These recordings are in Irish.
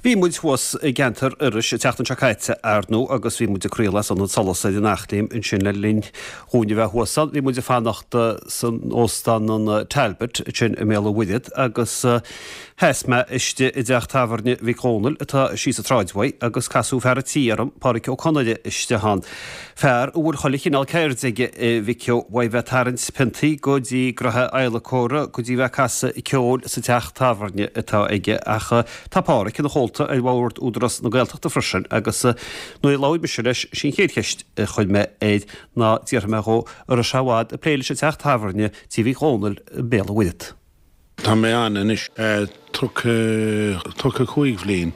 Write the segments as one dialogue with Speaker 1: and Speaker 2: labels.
Speaker 1: Bhí muid thuas i gceantar Iorrais an tseachtain seo caite, ar ndóigh, agus bhí muid ag craoladh as Ionad Solais ar an Eachléim ansin le linn dhúinn a bheith thuas ann. Bhí muid ag fanacht san Óstán an Talbot ansin i mBéal an Mhuirthead agus sheas mé istigh i dteach tábhairne Mhic Dhónaill atá síos an tsráid uaidh agus casadh fear an tí orm, Páraic Ó Conaire, istigh ann. Fear a bhfuil chuile chineál ceird aige, a Mhic Ó, uaidh bheith ag tarraingt piontaí go dtí gnoithe adhlacóra go dtí bheith ag casadh ceoil sa teach tábhairne atá aige. Ach tá Páraic ina chomhalta ar bhord Údarás na Gaeltachta freisin agus nuair a labhair mise leis, sí an chéad cheist a chuir mé air ná d'fhiafraigh mé dhó an raibh sé i bhfad ag plé leis an teach tábhairne Tí Mhic Dhónaill i mBéal an Mhuirthead.
Speaker 2: Tá mé ann anois 35 bhliain.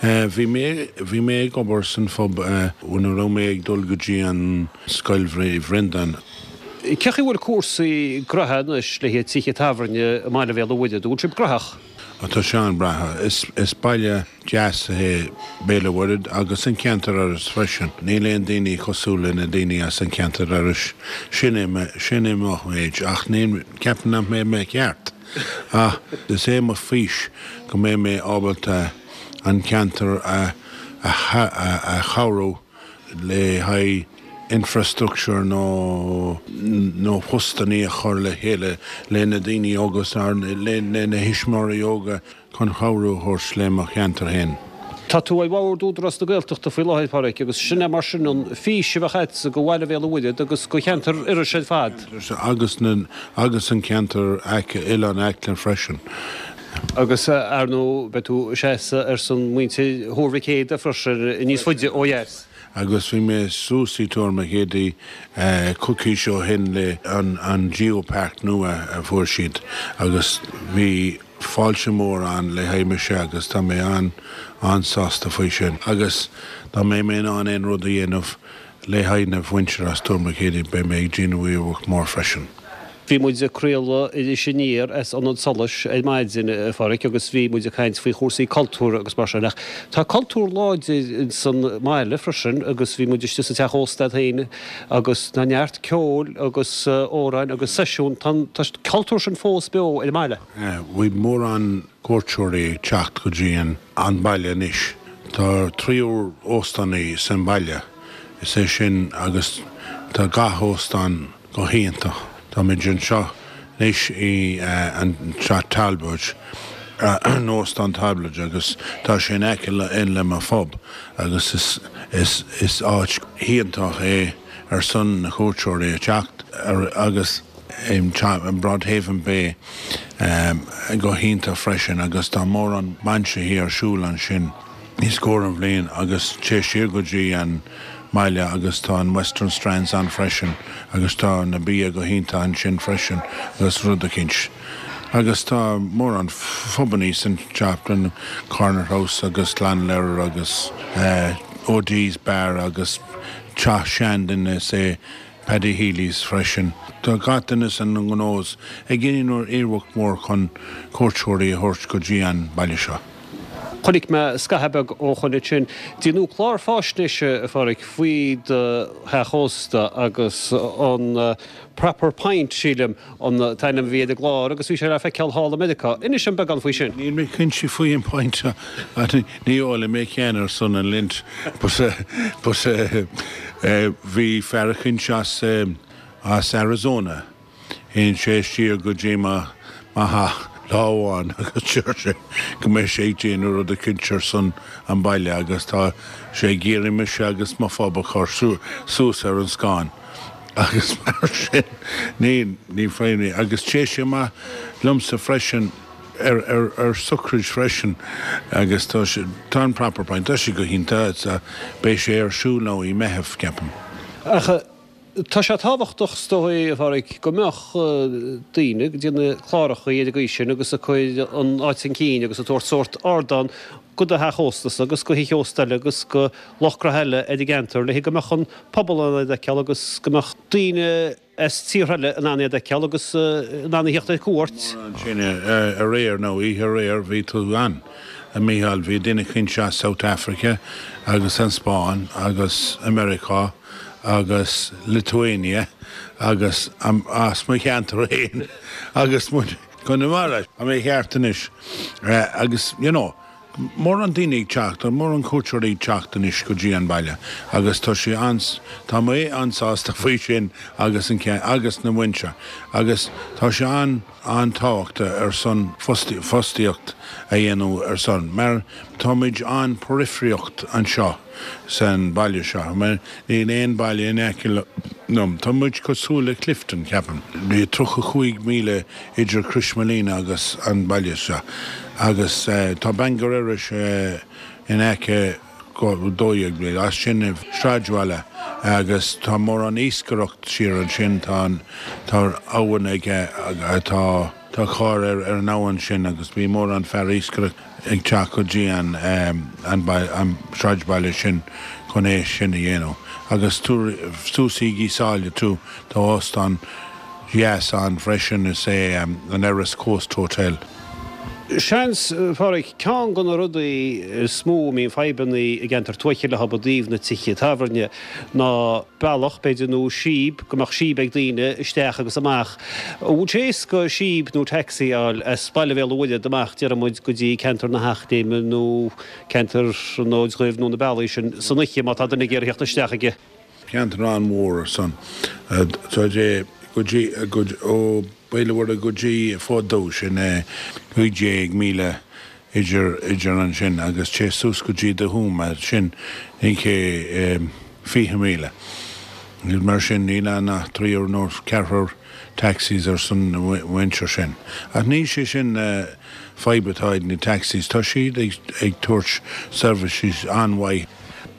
Speaker 2: Bhí mé, bhí mé ag obair san phub nuair a raibh mé ag dul go dtí an Scoil Bhreandáin.
Speaker 1: Cé chaoi a bhfuil cúrsaí gnoithe anois le haghaidh tithe tábhairne i mbaile Bhéal an Mhuirthead? An bhfuil sibh gnóthach?
Speaker 2: Tá sé an-bhreá. Is baile deas é Béal an Mhuirthead agus an ceantar Iorrais freisin. Níl aon daoine cosúil le na daoine as an ceantar Iorrais. Sin é mo, sin é mo méid ach níl, ceapaim nach mbeidh mé ceart. Ach is é mo fís go mbeidh mé ábalta an ceantar a, a, a chabhrú le haghaidh infrastructure nó nó postannaí a chur le chéile le na daoine óga le na thuismitheoirí óga chun chabhrú a thabhairt le mo cheantar féin.
Speaker 1: Tá tú ar bhord Údarás na Gaeltachta faoi láthair, Páraic, agus sin é mar sin an fís a bheadh agatsa do bhaile Bhéal an Mhuirthead agus do cheantar Iorrais ar fad.
Speaker 2: Agus na agus an ceantar Oileán Acla freisin.
Speaker 1: Agus, ar ndóigh, beidh tú ag seasamh ar son muintir Thuar Mhic Éadaigh freisin, níos faide ó dheas.
Speaker 2: Agus bhí mé suas i Tuar Mhic Éadaigh coicís ó shin le an Geopark nua a fuair siad agus bhí fáilte mór ann le haghaidh mise agus tá mé an-an-sásta faoi sin. Agus dá mbeidh mé in ann aon rud a dhéanamh le haghaidh na mhuintir as Tuar Mhic Éadaigh beidh mé ag déanamh iarracht mór freisin.
Speaker 1: Bhí muid ag craoladh Iris Aniar as Ionad Solais ar maidin, a Pháraic, agus bhí muid ag caint faoi chúrsaí cultúrtha agus mar sin. Ach tá cultúr láidir ins an mbaile freisin agus bhí muid istigh sa teach ósta agat féin agus tá neart ceoil agus amhráin agus seisiún. Tá an cultúr sin fós beo ar an mbaile.
Speaker 2: Bhí mórán cuairteoirí ag teacht go dtí an baile anois. Tá triúr óstánaí san baile, is é sin agus tá gach óstán, Go hiontach. Táimid anseo anois i an Teach Talbot, an Óstán Talbot agus tá sé in aice le mo phub agus is is is áit iontach é ar son na cuairteoirí a teacht agus Broadhaven Bay go hiontach freisin agus tá mórán bainsithe ar siúl ansin. i scór an bhliain agus téigh siar go dtí an mbaile agus tá an Western Strands ann freisin agus tá na bia go hiontach ansin freisin agus rud eicínt. Agus tá mórán phubannaí san teach, an Corner House agus Clonlare agus O'Dee's Bar agus teach seanduine is é Paddy Healy's freisin. Tá gach duine san ngnó ag déanamh iarracht mhór chun cuairteoirí a thabhairt go dtí an baile seo.
Speaker 1: Chonaic mé scaitheamh beag ó shoin ansin. Déanadh clár fáisnéise, a Pháraic, faoi do theach ósta agus an Proper Pint, sílim, an t-ainm a bhí ar an gclár agus bhí sé le feiceáil thall i Meiriceá. Inis dom beagán faoi sin.
Speaker 2: Níl mé cinnte faoi an pint, ní ólfaidh mé cheana ar son an Lent but but bhí fear eicínt as as Arizona Théann sé siar go dtí mo theach lá amháin agus deir sé go mbeidh sé ag déanamh rud eicínt ar son an baile agus tá sé ag iarraidh mise agus mo phub a chur suas ar an scáileán agus mar sin ní ní féidir agus téigh sé amach liomsa freisin ar ar ar socraid freisin agus tá sé tá an Proper Pint tá sé go hiontach beidh sé ar siúl now i Meitheamh ceapaim.
Speaker 1: Ach Tá sé tábhachtach, is dóigh, a Pháraic, go mbeadh daoine ag déanamh clárachaí ar an gcaoi sin agus ag cur an áit chun cinn agus ag tabhairt sórt ardán go do theach óstasa agus go thithe ósta eile agus go lucht gnoithe eile ar an gceantar le go mbeadh an pobal in ann iad a fheiceáil agus go mbeadh daoine as tíortha eile in ann iad a fheiceáil agus in ann a theacht ar cuairt.
Speaker 2: Ansin aréir nó oíche aréir bhí tú ann, a Mhícheáil, bhí duine eicínt as South Africa agus an Spáinn agus Americá. agus Lithuania agus as mo cheantar féin agus muid Conamara. Tá mé ceart anois agus you know. mórán daoine ag teacht, tá mórán cuairteoirí ag teacht anois go dtí an baile agus tá sé an, tá mé an-sásta faoi sin agus an, agus na muintir agus tá sé an, an-tábhachtach ar son fostaíocht a dhéanamh ar son mar táimid an-periphereacht anseo san baile seo mar níl aon baile in aice liom. Tá muid cosúil le Clifden, ceapaim. 35 míle idir Croismolina agus an baile seo agus tá Bangor Iorrais in aice 12 mhíle as sin i sráidbhaile agus tá mórán iascaireacht siar ansin, tá an, tá abhainn aige, tá, tá carr ar an abhainn sin agus bhí mórán fear iascaireacht ag teacht go dtí an, an, an sráidbhaile sin chun é sin a dhéanamh. Agus suas i gCionn Sáile too, tá óstán dheas ann freisin, is é an Erris Coast Hotel.
Speaker 1: Seans, a Pháraic, ceann de na rudaí is mó a mbíonn fadhbanna i gceantar tuaithe leo i dtaobh na tithe tábhairne ná bealach, b'fhéidir, nó síob, go mbeadh síob ag daoine isteach agus amach. An bhfuil sé éasca síob nó taxi a fháil as baile Bhéal an Mhuirthead amach, déarfaidh muid, go dtí ceantar na hEachléime nó ceantar an Fhóid Dhuibh nó na bealaí sin san oíche má tá duine ag iarraidh theacht isteach ag
Speaker 2: Ceantar an-mhór ar son. Tá sé go dtí, ó Béal an Mhuirthead go dtí Fód Dubh, sin 15 míle idir, idir ansin agus téigh suas go dtí The Hume, sin 20 míle. Mar sin níl ann ach triúr nó ceathrar taxis ar son na muintir sin. Ach níl sé sin fadhb atá ag na taxis, tá siad ag tabhairt seirbhísí an-mhaith.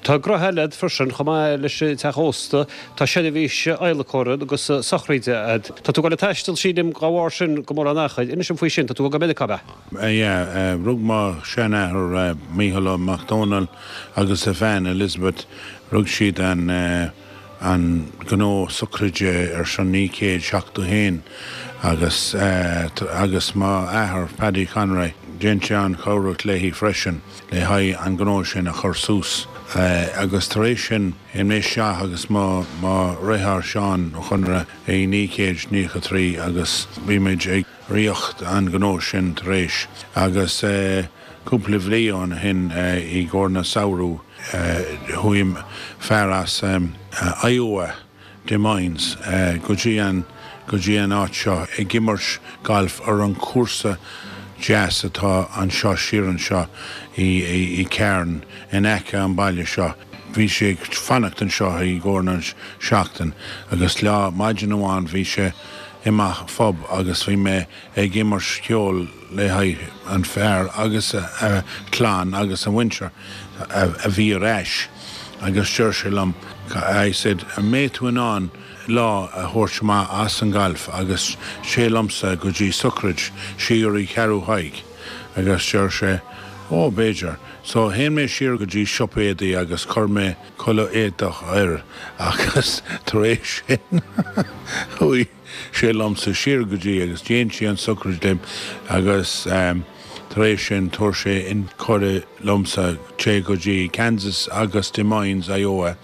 Speaker 1: Tá gnoithe eile agat freisin, chomh maith leis an teach ósta, tá seirbhís adhlacóra agus sochraide agat. Tá tú ag dul ag taisteal, sílim, dá bharr sin go mórán achair. Inis dom faoi sin, tá tú ag dul go Meiriceá, ab
Speaker 2: ea? Yeah, rug mo sheanathair Mícheál Ó Mac Dónaill agus a bhean Elizabeth, rug siad an an gnó sochraide ar son 1971 agus agus mo athair Paddy Conroy, dhein sé an-chabhrach léi freisin le haghaidh an gnó sin a chur suas agus tar éis sin théim mé isteach agus mo mo dheartháir Seán Ó Conaire i 1993 agus bhí muid ag ritheacht an gnó sin tar éis agus cúpla bhliain ó shin i gcomhair na samhradh chuaigh fear as Iowa, Des Moines, go dtí an go dtí an áit seo ag imirt gailf ar an chúrsa deas atá anseo siar anseo i i Carn in aice an baile seo. Bhí sé ag fanacht anseo i gcomhair na seachtain agus lá maidin amháin bhí sé i mo phub agus bhí mé ag imirt ceoil le haghaidh an fear agus a chlann agus a mhuintir a bhí ar ais agus deir sé liom I said an mbeidh tú in ann lá a thabhairt amach as an galf agus téigh liomsa go dtí sochraid siar i Cheathrú Thaidhg agus deir sé ó b'fhéidir so théann mé siar go dtí siopa éadaí agus chuir mé culaith éadach air agus tar éis sin chuaigh sé liomsa siar go dtí agus dhéan sé an sochraid liom agus tar éis sin tabhair sé an cuireadh liomsa téigh go dtí Kansas agus Des Moines, Iowa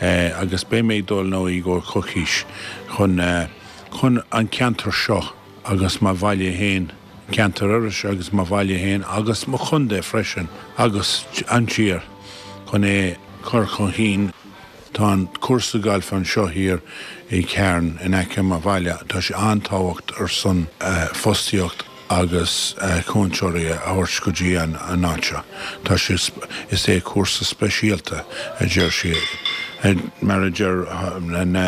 Speaker 2: agus beidh mé ag dul now i gcomhair coicís chun chun an ceantar seo agus mo bhaile fhéin, ceantar Iorrais agus mo bhaile fhéin agus mo chontae freisin agus an tír chun é cur chun chinn. Tá an cúrsa gailf anseo thiar i Carn in aice mo bhaile, tá sé an-tábhacht ar son fostaíocht agus cuainteoirí a thabhairt go dtí an áit seo. Tá sé, is é cúrsa speisialta a deir sí, mar a deir na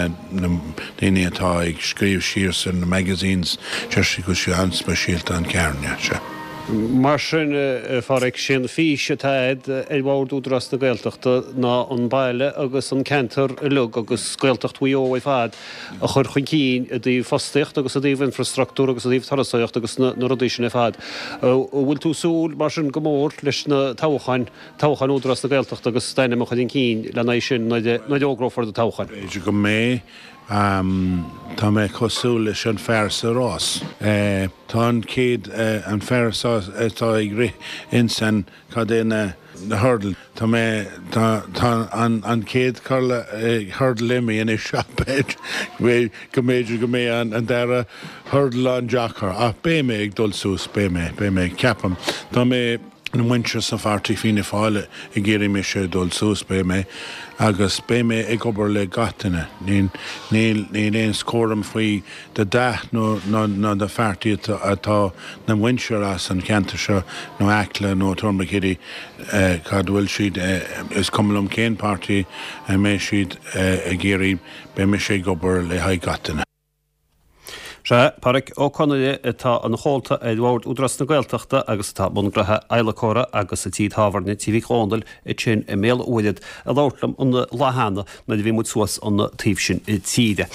Speaker 2: daoine atá ag scríobh síos ar na magazines, deir sí go bhfuil sé an-speisialta an Carn, yeah, sea.
Speaker 1: Mar sin, a Pháraic, sé an fís atá agat ar bhord Údarás na Gaeltachta ná an baile agus an ceantar uilig agus Gaeltacht Mhaigh Eo ar fad a chur chun cinn i dtaobh fostaíocht agus i dtaobh infrastructúr agus i dtaobh turasóireacht agus na rudaí sin ar fad. An bhfuil tú ag súil mar sin go mór leis na toghcháin, toghcháin Údarás na Gaeltachta agus d'ainm a chur chun cinn lena aghaidh sin nuair a fhógrófar do toghchán?
Speaker 2: B'fhéidir go mbeidh. Tá mé cosúil leis an fear sa rás. Tá an chéad, an fear atá ag rith ins an, cad é na, na hurdle. Tá mé, tá, tá an, an chéad hurdle imithe anois ach b'fhéidir go mb'fhéidir go mbeidh an dara hurdle an-deacair ach beidh mé ag dul suas, beidh mé, beidh mé, ceapaim. Tá mé. Na muintir sa phairtí Fianna Fáil ag iarraidh mise dul suas, beidh mé agus beidh mé ag obair le gach duine. Níl níl aon chúram faoi do dath nó nó do phairtí atá na muintir as an cheantar seo nó Acla nó Tourmakeady cad bhfuil siad is cuma liom cén páirtí a mbeidh siad ag iarraidh beidh mise ag obair le haghaidh gach duine.
Speaker 1: Sea, Pádraic Ó Conaire atá ina chomhalta ar Bhord Údarás na Gaeltachta agus atá i mbun gnoithe adhlacóra agus an tí tábhairne Tí Mhic Dhónaill ansin i mBéal an Mhuirthead ag labhairt liom an lá cheana nuair a bhí muid suas an taobh sin tíre.